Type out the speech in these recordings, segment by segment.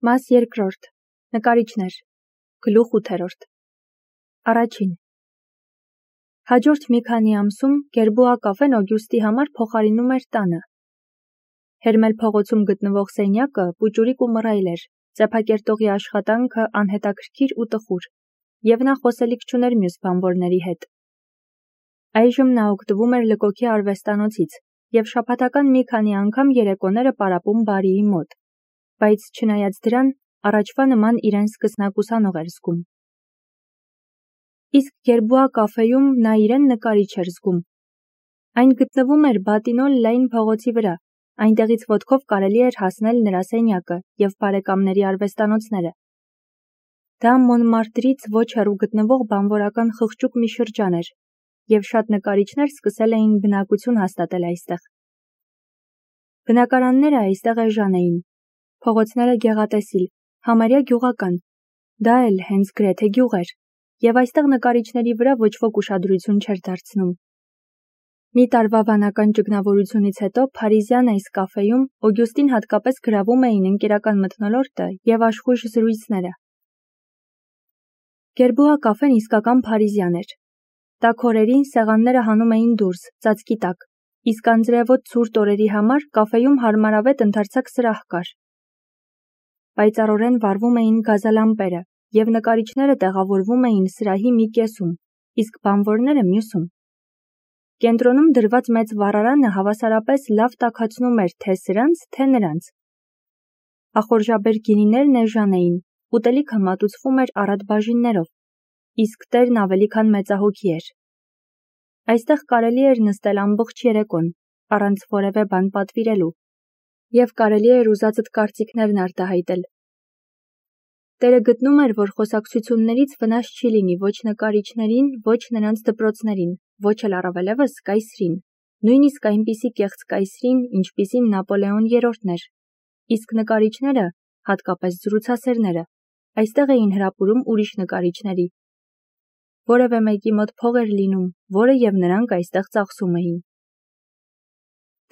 Մաս երկրորդ. նկարիչներ, գլուխ 8-րդ։ Առաջին։ Հաջորդ մի քանի ամսում Գերբուա կաֆեն Օգյուստի համար փոխարինում էր տանը։ Հերմել փողոցում գտնվող սենյակը պուճուրիկ ու մռայլ էր, ծեփակերտողի աշխատանքը անհետաքրքիր ու տխուր, եւ նա խոսելիք չուներ մյուս բանվորների հետ։ Այժմ նա օգտվում էր լկոքի արվեստանոցից եւ շաբաթական մի քանի անգամ երեկոները պարապում բարիի մոտ, բայց չնայած դրան, առաջվա նման իրեն սկսնակ ուսանող էր զգում։ Իսկ Գերբուա կաֆեում նա իրեն նկարիչ էր զգում։ Այն գտնվում էր Բատինոլ լայն փողոցի վրա, այնտեղից ոտքով կարելի էր հասնել նրա սենյակը եւ բարեկամների արվեստանոցները։ Դա Մոնմարտրից ոչ հեռու գտնվող բանվորական խղճուկ մի շրջան էր, եւ շատ նկարիչներ սկսել էին բնակություն հաստատել այստեղ։ Բնակարանները այստեղ էժան էին, փողոցները գեղատեսիլ, համարյա գյուղական, դա էլ հենց գրեթե գյուղ էր, եւ այստեղ նկարիչների վրա ոչ ոք ուշադրություն չէր դարձնում։ Մի տարվա վանական ճգնավորությունից հետո Փարիզյան այս կաֆեում Օգյուստին հատկապես գրավում էին ընկերական մթնոլորտը եւ աշխույժ զրույցները։ Գերբուա կաֆեն իսկական փարիզյան էր։ Տաք օրերին սեղանները հանում էին դուրս, ծածկի տակ, իսկ անձրևոտ ցուրտ օրերի համար կաֆեում հարմարավետ ընդարձակ սրահ կար։ Պայծառորեն վառվում էին գազալամպերը, եւ նկարիչները տեղավորվում էին սրահի մի կեսում, իսկ բանվորները մյուսում։ Կենտրոնում դրված մեծ վառարանը հավասարապես լավ տաքացնում էր թե սրանց, թե նրանց։ Ախորժաբեր գինիներն էժան էին, ուտելիքը մատուցվում էր առատ բաժիններով, իսկ տերն ավելի քան մեծահոգի էր։ Այստեղ կարելի էր նստել ամբողջ երեկոն, առանց որևէ բան պատվիրելու, եւ կարելի էր ուզածդ կարծիքներն արտահայտել։ Տերը գտնում էր, որ խոսակցություններից վնաս չի լինի ոչ նկարիչներին, ոչ նրանց դպրոցներին, ոչ էլ առավելևս կայսրին, նույնիսկ այնպիսի կեղծ կայսրին, ինչպիսին Նապոլեոն III-ն էր, իսկ նկարիչները, հատկապես զրուցասերները, այստեղ էին հրապուրում ուրիշ նկարիչների։ Որևէ մեկի մոտ փող էր լինում, որը եւ նրանք այստեղ ծախսում էին։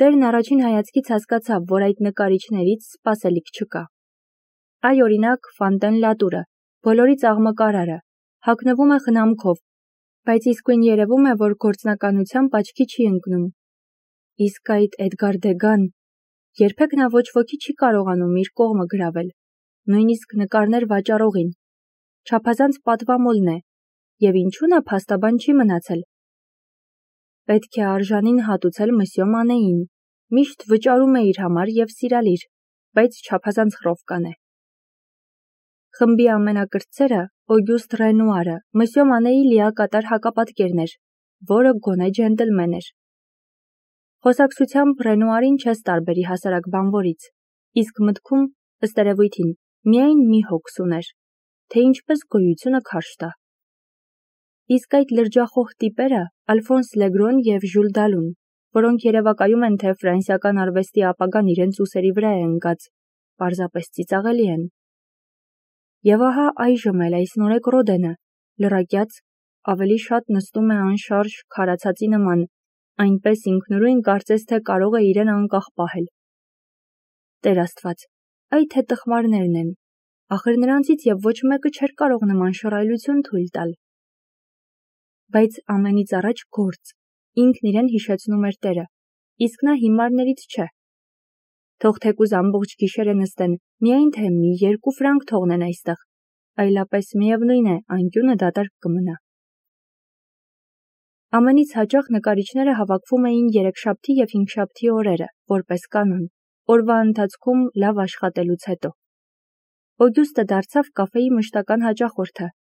Տերն առաջին հայացքից հասկացավ, որ այդ նկարիչներից սպասելիք չկա։ Այ օրինակ Ֆանտեն Լատուրը, բոլորից աղմկարարը, հագնվում է խնամքով, բայց իսկույն երևում է, որ գործնականությամբ աչքի չի ընկնում։ Իսկ այդ Էդգար Դեգան, երբեք նա ոչ ոքի չի կարողանում իր կողմը գրավել, նույնիսկ նկարներ վաճառողին։ Չափազանց պատվամոլն է, եւ ինչու նա փաստաբան չի մնացել։ Պետք է արժանին հատուցել Մսյո Մանեին, միշտ վճարում է իր համար եւ սիրալիր, բայց չափազանց խռովկան է։ Խմբի ամենակրտսերը Օգյուստ Ռենուարը Մսյո Մանեի լիակատար հակապատկերն էր, որը գոնե ջենտլմեն էր։ Խոսակցությամբ Ռենուարին չես տարբերի հասարակ բանվորից, իսկ մտքում, ըստ երևույթին, միայն մի հոգս ուներ, թե ինչպես գոյությունը քարշ տա։ Իսկ այդ լրջախոհ տիպերը Ալֆոնս Լեգրոն եւ Ժուլ Դալուն, որոնք երևակայում են, թե ֆրանսիական արվեստի ապագան իրենց ուսերի վրա է ընկած, պարզապես ծիծաղելի են։ Եվ ահա այժմ էլ այս նորեկ Ռոդենը, լրակյաց, ավելի շատ նստում է անշարժ քարացածի նման, այնպես ինքնուրույն կարծես թե կարող է իրեն անկախ պահել։ Տեր Աստված, այ թե տխմարներն են, ախր նրանցից եւ ոչ մեկը չէր կարող նման շռայլություն թույլ տալ։ Բայց ամենից առաջ գործ, ինքն իրեն հիշեցնում էր Տերը, իսկ նա հիմարներից չէ։ Թող թեկուզ ամբողջ գիշերը նստեն, միայն թե մի 2 ֆրանկ թողնեն այստեղ, այլապես միևնույն է, անկյունը դատարկ կմնա։ Ամենից հաճախ նկարիչները հավաքվում էին երեքշաբթի եւ հինգշաբթի օրերը, որպես կանոն, օրվա ընթացքում լավ աշխատելուց հետո։ Օգյուստը դարձավ կաֆեի մշտական հաճախորդը։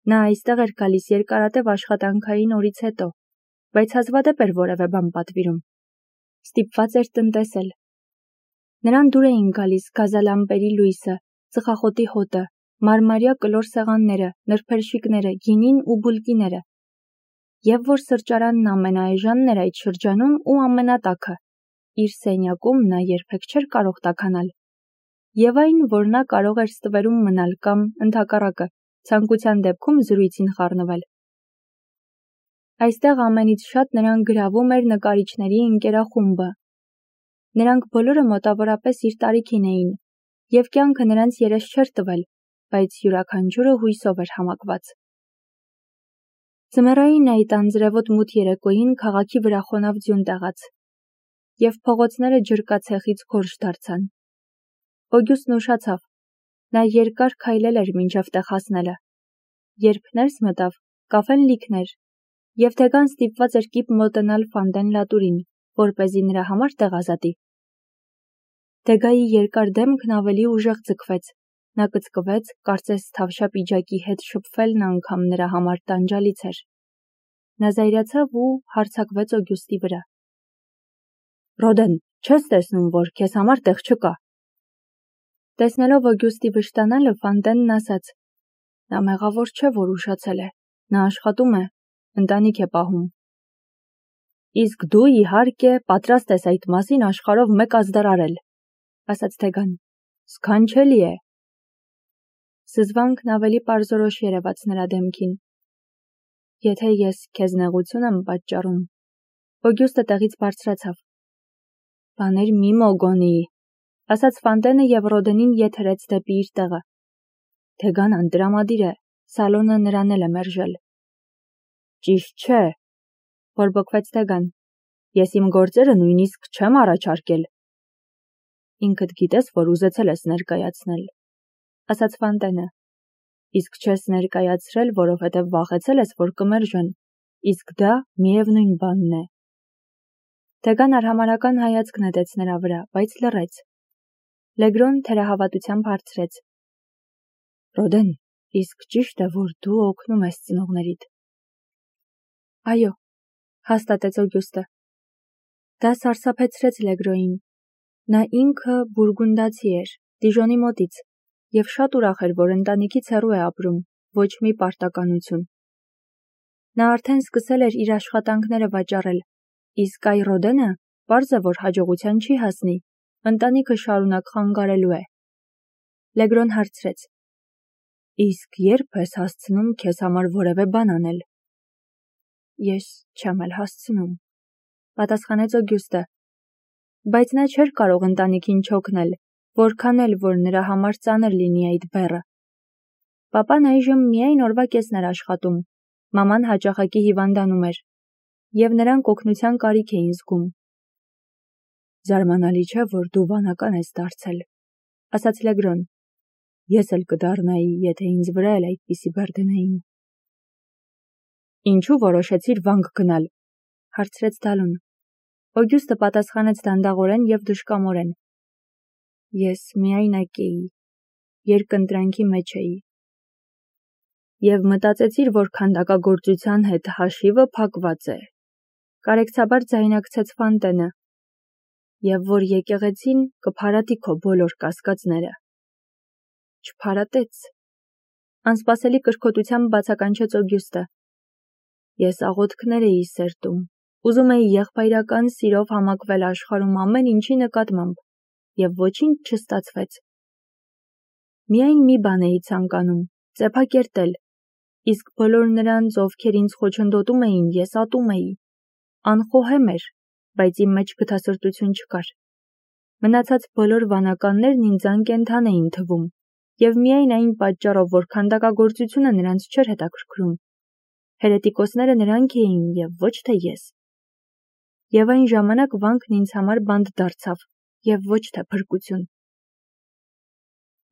Նա այստեղ էր գալիս երկարատև աշխատանքային օրից հետո, բայց հազվադեպ էր որևէ բան պատվիրում։ Ստիպված էր տնտեսել։ Նրան դուր էին գալիս գազալամպերի լույսը, ծխախոտի հոտը, մարմարյա կլոր սեղանները, նրբերշիկները, գինին ու բուլկիները։ Եվ որ սրճարանն ամենաէժանն էր այդ շրջանում ու ամենատաքը, իր սենյակում նա երբեք չէր կարող տաքանալ։ Եվ այն, որ նա կարող էր ստվերում մնալ կամ, ընդհակառակը, ցանկության դեպքում զրույցին խառնվել։ Այստեղ ամենից շատ նրան գրավում էր նկարիչների ընկերախումբը։ Նրանք բոլորը մոտավորապես իր տարիքին էին, Եվ կյանքը նրանց երես չէր տվել, բայց յուրաքանչյուրը հույսով էր համակված։ Ձմեռային այդ անձրևոտ մութ երեկոյին քաղաքի վրա խոնավ ձյուն տեղաց, և փողոցները ջրկացեխից գորշ դարձան։ Օգյուստն ուշացավ, նա երկար քայլել էր մինչև տեղ հասնելը։ Երբ ներս մտավ, կաֆեն լիքն էր, և Թեգան ստիպված էր կիպ մոտենալ Ֆանդեն Լատուրին, որպեսզի նրա համար տեղ ազատի։ Թեգայի երկար դեմքն ավելի ուժեղ ձգվեց, նա կծկվեց, կարծես թավշյա պիջակի հետ շփվելն անգամ նրա համար տանջալից էր։ Նա զայրացավ ու հարձակվեց Օգյուստի վրա։ Ռոդեն, չես տեսնում, որ քեզ համար տեղ չկա։ Տեսնելով Օգյուստի վշտանալը, Ֆանդենն ասաց. Նա մեղավոր չէ, որ ուշացել է, նա աշխատում է, ընտանիք է պահում։ Իսկ դու, իհարկե, պատրաստ ես այդ մասին աշխարհով մեկ ազդարարել, ասաց Թեգան։ Սքանչելի է։ Զզվանքն ավելի պարզորոշ երևաց նրա դեմքին։ Եթե ես քեզ նեղություն եմ պատճառում, Օգյուստը տեղից բարձրացավ։ Բաներ մի մոգոնի, ասաց Ֆանդենը և Ռոդենին ետ հրեց դեպի իր տեղը։ Թեգան անտրամադիր է, սալոնը նրան էլ է մերժել։ Ճիշտ չէ, բորբոքվեց Թեգան։ Ես իմ գործերը նույնիսկ չեմ առաջարկել։ Ինքդ գիտես, որ ուզեցել ես ներկայացնել, ասաց Ֆանդենը։ Իսկ չես ներկայացրել, որովհետև վախեցել ես, որ կմերժեն, իսկ դա միևնույն բանն է։ Թեգան արհամարհական հայացք նետեց նրա վրա, բայց լռեց։ Լեգրոն թերահավատությամբ հարցրեց. Ռոդեն, իսկ ճիշտ է, որ դու օգնում ես ծնողներիդ։ Այո, հաստատեց Օգյուստը։ Դա սարսափեցրեց Լեգրոյին։ Նա ինքը բուրգունդացի էր, Դիժոնի մոտից, և շատ ուրախ էր, որ ընտանիքից հեռու է ապրում, ոչ մի պարտականություն։ Նա արդեն սկսել էր իր աշխատանքները վաճառել, իսկ այ Ռոդենը պարզ է, որ հաջողության չի հասնի, ընտանիքը շարունակ խանգարելու է։ Լեգրոն հարցրեց. Իսկ երբ ես հասցնում քեզ համար որևէ բան անել։ Ես չեմ էլ հասցնում, պատասխանեց Օգյուստը, բայց նա չէր կարող ընտանիքին չօգնել, որքան էլ որ նրա համար ծանր լինի այդ բեռը։ Պապան այժմ միայն օրվա կեսն էր աշխատում, մաման հաճախակի հիվանդանում էր, և նրանք օգնության կարիք էին զգում։ Զարմանալի չէ, որ դու վանական ես դարձել, ասաց Լեգրոն։ Ես էլ կդառնայի, եթե ինձ վրա էլ այդպիսի բեռ դնեին։ Ինչու որոշեցիր վանք գնալ, հարցրեց Դալուն։ Օգյուստը պատասխանեց դանդաղորեն և դժկամորեն. Ես միայնակ էի, երկընտրանքի մեջ էի։ Եվ մտածեցիր, որ քանդակագործության հետ հաշիվը փակված է, կարեկցաբար ձայնարկեց Ֆանդենը, և որ եկեղեցին կփարատի քո բոլոր կասկածները։ Չփարատեց, անսպասելի կրքոտությամբ բացականչեց Օգյուստը։ Ես աղոթքներ էի սերտում, ուզում էի եղբայրական սիրով համակվել աշխարհում ամեն ինչի նկատմամբ, և ոչինչ չստացվեց։ Միայն մի բան էի ցանկանում՝ ծեփակերտել, իսկ բոլոր նրանց, ովքեր ինձ խոչընդոտում էին, ես ատում էի։ Անխոհեմ էր, բայց իմ մեջ գթասրտություն չկար։ Մնացած բոլոր վանականներն ինձ անկենդան էին թվում, և միայն այն պատճառով, որ քանդակագործությունը նրանց չէր հետաքրքրում։ Հերետիկոսները նրանք էին և ոչ թե ես։ Եվ այն ժամանակ վանքն ինձ համար բանտ դարձավ, և ոչ թե փրկություն։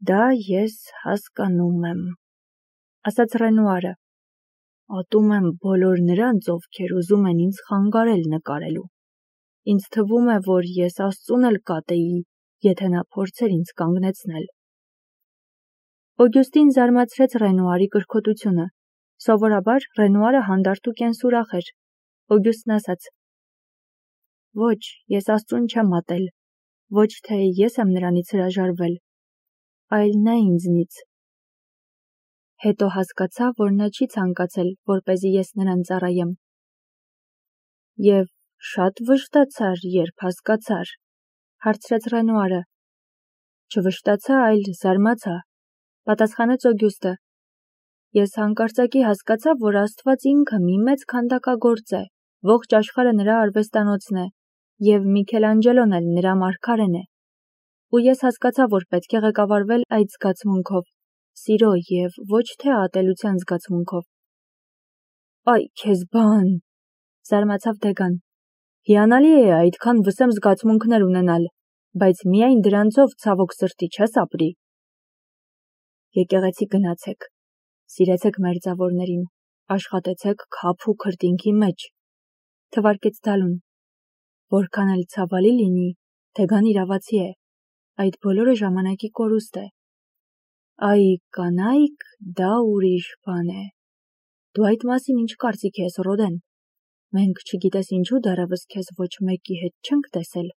Դա ես հասկանում եմ, ասաց Ռենուարը։ Ատում եմ բոլոր նրանց, ովքեր ուզում են ինձ խանգարել նկարելու։ Ինձ թվում է, որ ես Աստծուն էլ կատեի, եթե նա փորձեր ինձ կանգնեցնել։ Օգյուստին զարմացրեց Ռենուարի կրքոտությունը։ Սովորաբար Ռենուարը հանդարտ ու կենսուրախ էր։ Օգյուստն ասաց. Ոչ, ես Աստծուն չեմ ատել, ոչ թե ես եմ նրանից հրաժարվել, այլ նա ինձնից։ Հետո հասկացա, որ նա չի ցանկացել, որպեսզի ես նրան ծառայեմ։ Եվ շատ վշտացար, երբ հասկացար, հարցրեց Ռենուարը։ Չվշտացա, այլ զարմացա, պատասխանեց Օգյուստը։ Ես հանկարծակի հասկացա, որ Աստված ինքը մի մեծ քանդակագործ է, ողջ աշխարհը նրա արվեստանոցն է, և Միքելանջելոն էլ նրա մարգարեն է։ ու ես հասկացա, որ պետք է ղեկավարվել այդ զգացմունքով, սիրո և ոչ թե ատելության զգացմունքով։ Այ քեզ բան, զարմացավ Դեգան։ Հիանալի է այդքան վսեմ զգացմունքներ ունենալ, բայց միայն դրանցով ցավոք սրտի չես ապրի։ Եկեղեցի գնացեք, սիրեցեք մերձավորներին, աշխատեցեք քափ ու քրտինքի մեջ, թվարկեց Դալուն։ Որքան էլ ցավալի լինի, Դեգան իրավացի է, այդ բոլորը ժամանակի կորուստ է։ Այ կանայք, դա ուրիշ բան է։ Դու այդ մասին ինչ կարծիք ես, Ռոդեն։ Մենք չգիտես ինչու դեռևս քեզ ոչ մեկի հետ չենք տեսել։